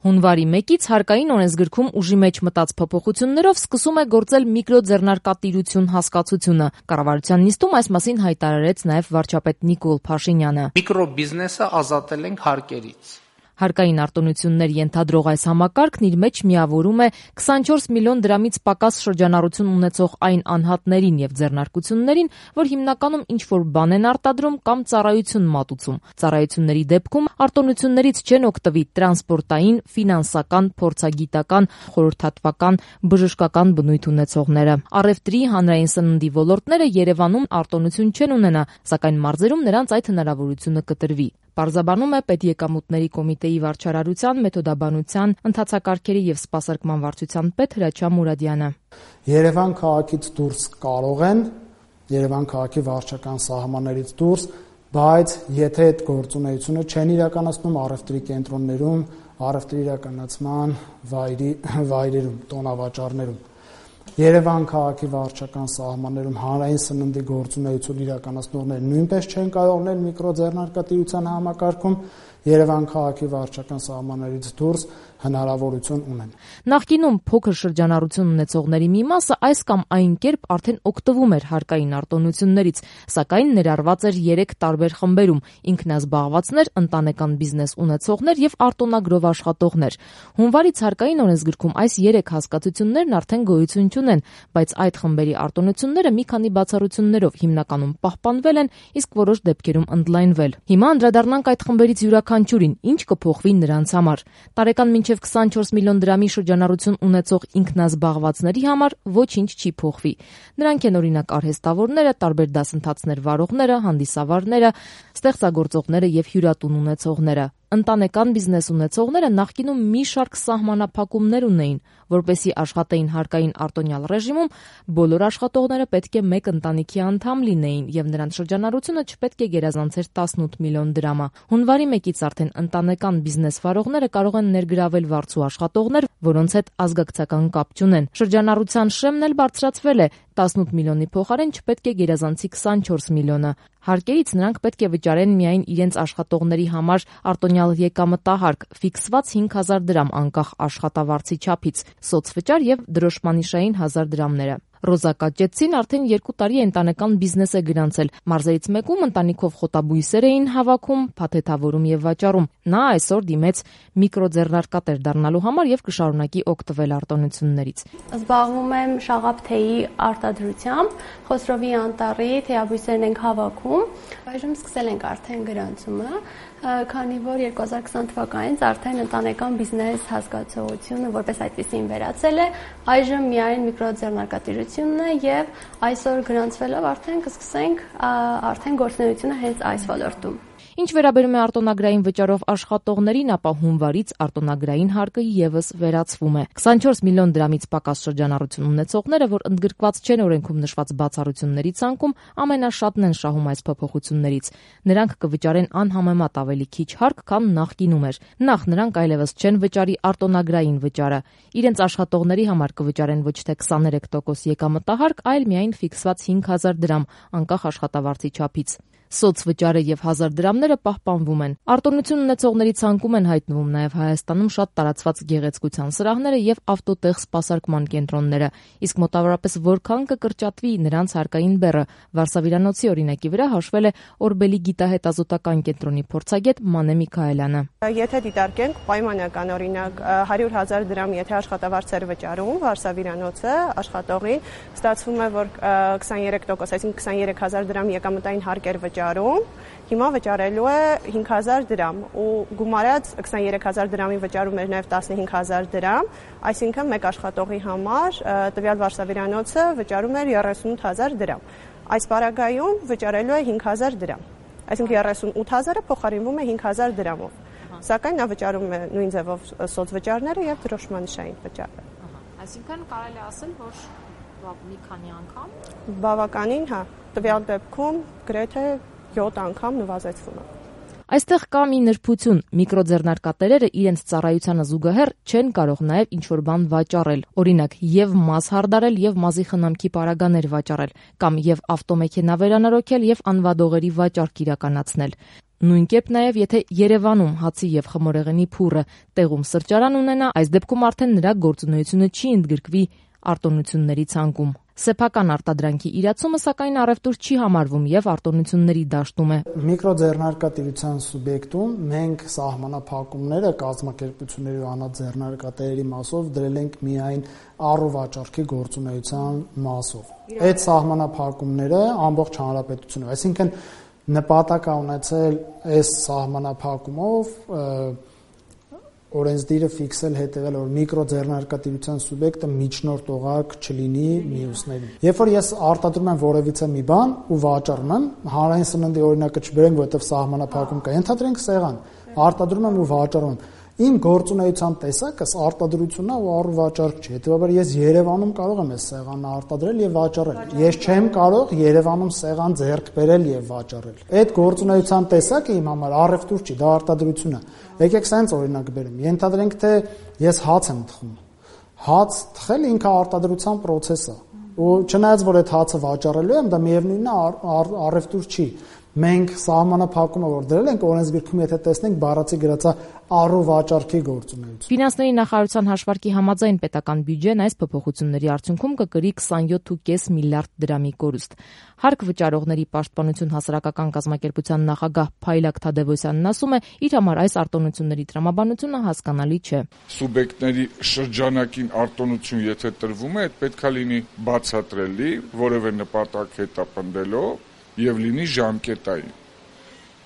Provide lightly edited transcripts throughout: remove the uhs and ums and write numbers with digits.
Հունվարի 1-ից հարկային օրենսգրքում ուժի մեջ մտած փոփոխություններով սկսում է գործել միկրոձեռնարկատիրություն հասկացությունը։ Կառավարության նիստում այս մասին հայտարարեց նաև վարչապետ Նիկոլ Փաշինյանը։ Միկրոբիզնեսը ազատել ենք հարկերից։ Հարկային արտոնություններ ենթադրող այս համակարգն իր մեջ միավորում է 24 միլիոն դրամից պակաս շրջանառություն ունեցող այն անհատներին եւ ձեռնարկություններին, որ հիմնականում ինչ-որ բան են արտադրում կամ ծառայություն մատուցում։ Ծառայությունների դեպքում արտոնություններից չեն օգտվի տրանսպորտային, ֆինանսական, փորձագիտական, խորհրդատվական, բժշկական բնույթ ունեցողները։ Առևտրի, հանրային սննդի ոլորտները Երևանում արտոնություն չեն ունենա, սակայն մարզերում նրանց այդ հնարավորությունը կտրվի։ Պարզաբանում է Պետեկամուտների կոմիտեի վարչարարության, մեթոդաբանության, ընթացակարգերի եւ սպասարկման վարչության պետ Հրաչյա Մուրադյանը։ Երևան քաղաքից դուրս կարող են, Երևան քաղաքի վարչական սահմաններից դուրս, բայց եթե այդ գործունեությունը չեն իրականացնում առևտրի կենտրոններում, առևտրի իրականացման վայրերում, տոնավաճառներում, Երևան քաղաքի վարչական սահմաններում հանրային սննդի գործունեություն իրականացնողները նույնպես չեն կարող լինել միկրոձեռնարկատիրության համակարգում, Երևան քաղաքի վարչական սահմաններից դուրս հնարավորություն ունեն։ Նախկինում փոքր շրջանառություն ունեցողների մի մասը այս կամ այն կերպ արդեն օգտվում էր հարկային արտոնություններից, սակայն ներառված էր 3 տարբեր խմբերում՝ ինքնազբաղվածներ, ընտանեկան բիզնես ունեցողներ եւ արտոնագրով աշխատողներ։ Հունվարից հարկային օրենսգրքում այս 3 հասկացություններն արդեն գոյություն չունեն, բայց այդ խմբերի արտոնությունները մի քանի բացառություններով հիմնականում պահպանվել են, իսկ որոշ դեպքերում ընդլայնվել։ Հիմա անդրադառնանք այդ խմբերից յուրաքանչյուրին, ինչ կփոխվի նրանց համար։ Տարեկան մինչև 24 միլիոն դրամի շրջանառություն ունեցող ինքնազբաղվածների համար ոչինչ չի փոխվի։ Նրանք են օրինակ արհեստավորները, տարբեր դասընթացներ վարողները, հանդիսավարները, ստեղծագործողները եւ հյուրատուն ունեցողները։ Ընտանեկան բիզնես ունեցողները նախկինում մի շարք սահմանափակումներ ունեին, որպեսզի աշխատեին հարկային արտոնյալ ռեժիմում, բոլոր աշխատողները պետք է մեկ ընտանիքի անդամ լինեին եւ նրանց շրջանառությունը չպետք է գերազանցեր 18 միլիոն դրամը։ Հունվարի 1-ից արդեն ընտանեկան բիզնես վարողները կարող են ներգրավել վարձու աշխատողներ, որոնց հետ ազգակցական կապ չունեն։ Շրջանառության շեմն էլ բարձրացվել է 18 միլիոնի փոխարեն չպետք է գերազանցի 24 միլիոնը։ Հարկերից նրանք պետք է վճարեն միայն իրենց աշխատողների համար արտոնյալ եկամտահարկ, ֆիքսված 5000 դրամ անկախ աշխատավարձի չափից, սոցվճար եւ դրոշմանիշային 1000 դրամները։ Ռոզա Կաճեցին արդեն 2 տարի ընտանեկան բիզնես է գրանցել։ Մարզերից մեկում ընտանիքով խոտաբույսեր էին հավաքում, փաթեթավորում եւ վաճառում։ Նա այսօր դիմեց միկրոձեռնարկատեր դառնալու համար եւ կշարունակի օգտվել արտոնություններից։ Զբաղվում եմ շաղափ-թեյի արտադրությամբ, Խոսրովի անտառի թեյաբույսերն ենք հավաքում։ Այժմ սկսել ենք արդեն գրանցումը, քանի որ 2020 թվականից արդեն ընտանեկան բիզնես հասկացողությունը որպես այդպեսին վերացել է, այժմ միայն միկրոձեռնարկատիրությունն է եւ այսօր գրանցվելով արդեն կսկսենք արդեն գործունեությունը հենց այս ոլորտում։ Ինչ վերաբերում է արտոնագրային վճարով աշխատողներին, ապա հունվարից արտոնագրային հարկը եւս վերացվում է։ 24 միլիոն դրամից պակաս շրջանառություն ունեցողները, որ ընդգրկված չեն օրենքում նշված բացառությունների ցանկում, ամենաշատն են շահում այս փոփոխություններից։ Նրանք կվճարեն անհամեմատ ավելի քիչ հարկ, քան նախկինում էր։ Նախ նրանք այլևս չեն վճարի արտոնագրային վճարը։ Իրենց աշխատողների համար կվճարեն ոչ թե 23% եկամտահարկ, այլ միայն ֆիքսված 5000 դրամ, անկախ աշխատավարձի չափից։ Սոցվճարը եւ 1000 դրամները պահպանվում են։ Արտոնություն ունեցողների ցանկում են հայտնվում նաեւ Հայաստանում շատ տարածված գեղեցկության սրահները եւ ավտոտեղ սպասարկման կենտրոնները, իսկ մոտավորապես որքան կկրճատվի նրանց հարկային բեռը, Վարշավիրանոցի օրինակի վրա հաշվել է Օրբելի գիտահետազոտական կենտրոնի փորձագետ Մանե Միքայելյանը։ Եթե դիտարկենք պայմանական օրինակ 100,000 դրամ եթե աշխատավարձեր վճարում Վարշավիրանոցը աշխատողին, ստացվում է որ 23%, այսինքն 23000 դրամ եկամտային հարկեր վճարում, հիմա վճարելու է 5000 դրամ ու գումարած 23000 դրամի վճարում էր նաև 15000 դրամ, այսինքն մեկ աշխատողի համար տվյալ Վարշավիրանոցը վճարում էր 38000 դրամ։ Այս պարագայում վճարելու է 5000 դրամ, այսինքն 38000-ը փոխարինվում է 5000 դրամով, սակայն նա վճարում է նույն ձևով սոցվճարները եւ դրոշմանիշային վճարը։ Այսինքն կարելի է ասել, որ մի քանի անգամ բավականին, հա, տվյալ դեպքում գրեթե 7 անգամ նվազեցվում է։ Այստեղ կա մի նրբություն. միկրոձեռնարկատերերը իրենց ծառայությանը զուգահեռ չեն կարող նաև ինչ-որ բան վաճառել, օրինակ եւ մազ հարդարել եւ մազի խնամքի պարագաներ վաճառել, կամ եւ ավտոմեքենա վերանորոգել եւ անվադողերի վաճառք իրականացնել։ Նույն կերպ նաև եթե Երևանում հացի եւ խմորեղենի փուռը տեղում սրճարան ունենա, այս դեպքում արդեն նրա գործունեությունը չի ընդգրկվի արտոնությունների ցանկում։ Սեփական արտադրանքի իրացումը սակայն առևտուր չի համարվում եւ արտոնությունների դաշտում է։ Միկրոձեռնարկատիրության սուբյեկտում մենք սահմանափակումները կազմակերպությունների ու անձեռնարկատերերի մասով դրել ենք միայն առուվաճառքի գործունեության մասով։ Այդ սահմանափակումները ամբողջ հանրապետությունում, այսինքն նպատակ է ունեցել այս սահմանափակումով օրենսդիրը ֆիքսել հետևել, որ միկրոձեռնարկատիրության սուբյեկտը միջնորդողակ չլինի մյուսներին։ Երբ որ ես արտադրում եմ որևիցե մի բան ու վաճառում եմ, հանրային սննդի օրինակը չբերենք, որովհետև սահմանափակում կա։ Ենթադրենք սեղան, արտադրում եմ ու վաճառում եմ։ Իմ գործունեության տեսակս արտադրությունն է ու առուվաճառք չի։ Հետևաբար ես Երևանում կարող եմ այս սեղանը արտադրել եւ վաճառել։ Ես չեմ կարող Երևանում սեղան ձեռք բերել եւ վաճառել։ Այդ գործունեության տեսակը իմ համար առևտուր չի, դա արտադրություն է։ Եկեք սենց օրինակ բերեմ։ Ենթադրենք թե ես հաց եմ թխում։ Հաց թխել ինքը արտադրության process է։ Ու չնայած որ այդ հացը վաճառելու եմ, դա միևնույնն է առևտուր չի։ Մենք սահմանափակումը որ դրել ենք օրենսգիրքում, եթե տեսնենք բառացի գրածա առուվաճառքի գործունեություն։ Ֆինանսների նախարարության հաշվարկի համաձայն պետական բյուջեն այս փոփոխությունների արդյունքում կկրի 27.5 միլիարդ դրամի կորուստ։ Հարկ վճարողների պաշտպանություն հասարակական կազմակերպության նախագահ Փայլակ Թադևոսյանն ասում է, իր համար այս արտոնությունների տրամաբանությունը հասկանալի չէ։ Սուբյեկտների շրջանակին արտոնություն եթե տրվում է, այդ պետք է լինի բացատրելի, որևէ նպատակ հետապնդելով եւ լինի ժամկետային։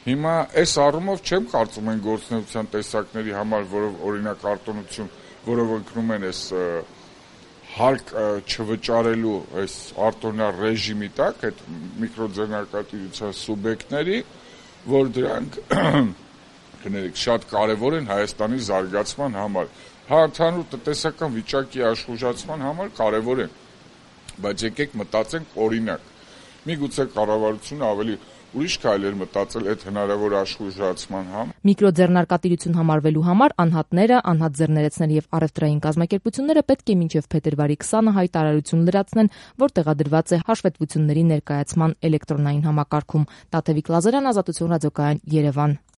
Հիմա այս առումով չեմ կարծում են գործունեության տեսակների համար, որով օրինակ արտոնություն, որով ընկնում են այս հարկ չվճարելու այս արտոնյա ռեժիմի տակ այդ միկրոձեռնարկատիրության սուբյեկտների, որ դրանք կներեք շատ կարևոր են Հայաստանի զարգացման համար, ընդհանուր տնտեսական վիճակի աշխուժացման համար կարևոր են, բայց եկեք մտածենք օրինակ, միգուցե կառավարությունը ավելի ուրիշ քայլեր մտածել այդ հնարավոր աշխուժացման համար։ Միկրոձեռնարկատիրություն համարվելու համար անհատները, անհատ ձեռներեցներ եւ առևտրային կազմակերպությունները պետք է մինչեւ փետրվարի 20-ը հայտարարություն լրացնեն, որ տեղադրված է հաշվետվությունների ներկայացման էլեկտրոնային համակարգում։ Տաթևիկ Լազարյան, Ազատություն ռադիոկայան, Երևան։